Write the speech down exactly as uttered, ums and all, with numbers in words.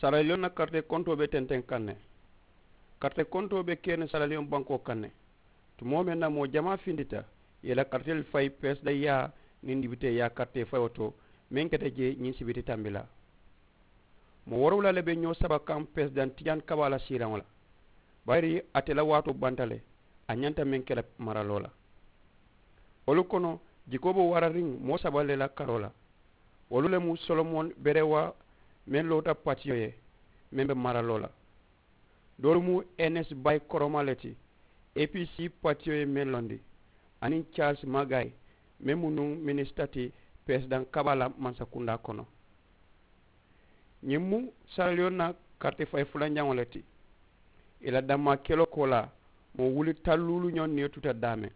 Saraliyoŋ na karitee kontoo be tenteŋ kaŋ ne. Karitee kontoo be kee ne saraliyoŋ bankoo kaŋ ne. Tumoo meŋ na moo jamaa findita, i ye i la kariteelu fayi peresidaŋ yaa niŋ dibitee yaa karitee fayoo to, meŋ keta jee ñiŋ sibiti tambilaa. Moo woorowula le be ñoo saba kaŋ peresidaŋ tijaani kabaa la siiraŋo la. Bayiri ate la waatoo banta le, a ñanta meŋ ke la maraloo la. Wolu kono, jikoo be warariŋ moo saba le la karoo la. Wolu le mu solomon berewa, meŋ loota patiyo ye, meŋ be maraloo la. Doolu mu enes bay koroma le ti, apc patiyo ye meŋ londi, aniŋ charles magay, meŋ mu nuŋ minisita ti peresidaŋ kabaa la mansakundaa kono. Ñiŋ mu saraliyoŋ na karite fayi fulanjaŋo le ti. I la dammaa keloo koolaa, moo wuli talluulu ñoŋ niyo tuta daameŋ.